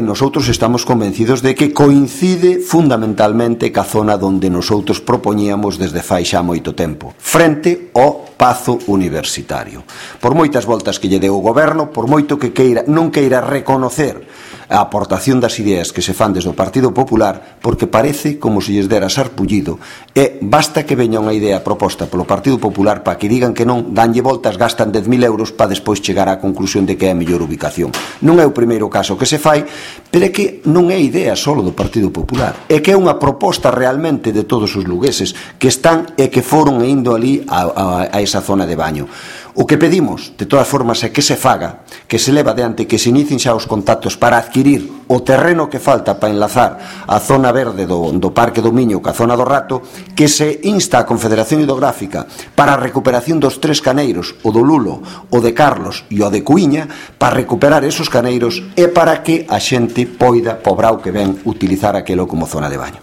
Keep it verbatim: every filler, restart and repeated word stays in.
Nosotros estamos convencidos de que coincide fundamentalmente ca zona onde nosotros propoñíamos desde fai xa moito tempo, frente ao Pazo Universitario. Por moitas voltas que lle deu o goberno, por moito que queira, non queira reconocer a aportación das ideas que se fan desde o Partido Popular, porque parece como se lles dera sarpullido, e basta que veña unha idea proposta polo Partido Popular para que digan que non, danlle voltas, gastan dez mil euros para despois chegar á conclusión de que é a mellor ubicación. Non é o primeiro caso que se fai, pero é que non é idea solo do Partido Popular, é que é unha proposta realmente de todos os lugueses que están e que foron indo ali a, a, a esa zona de baño. O que pedimos, de todas formas, é que se faga, que se leva adiante, que se inicien xa os contactos para adquirir o terreno que falta para enlazar a zona verde do, do Parque do Miño ca zona do Rato, que se insta a Confederación Hidrográfica para a recuperación dos tres caneiros, o do Lulo, o de Carlos e o de Cuíña, para recuperar esos caneiros e para que a xente poida, pobrao que ven, utilizar aquelo como zona de baño.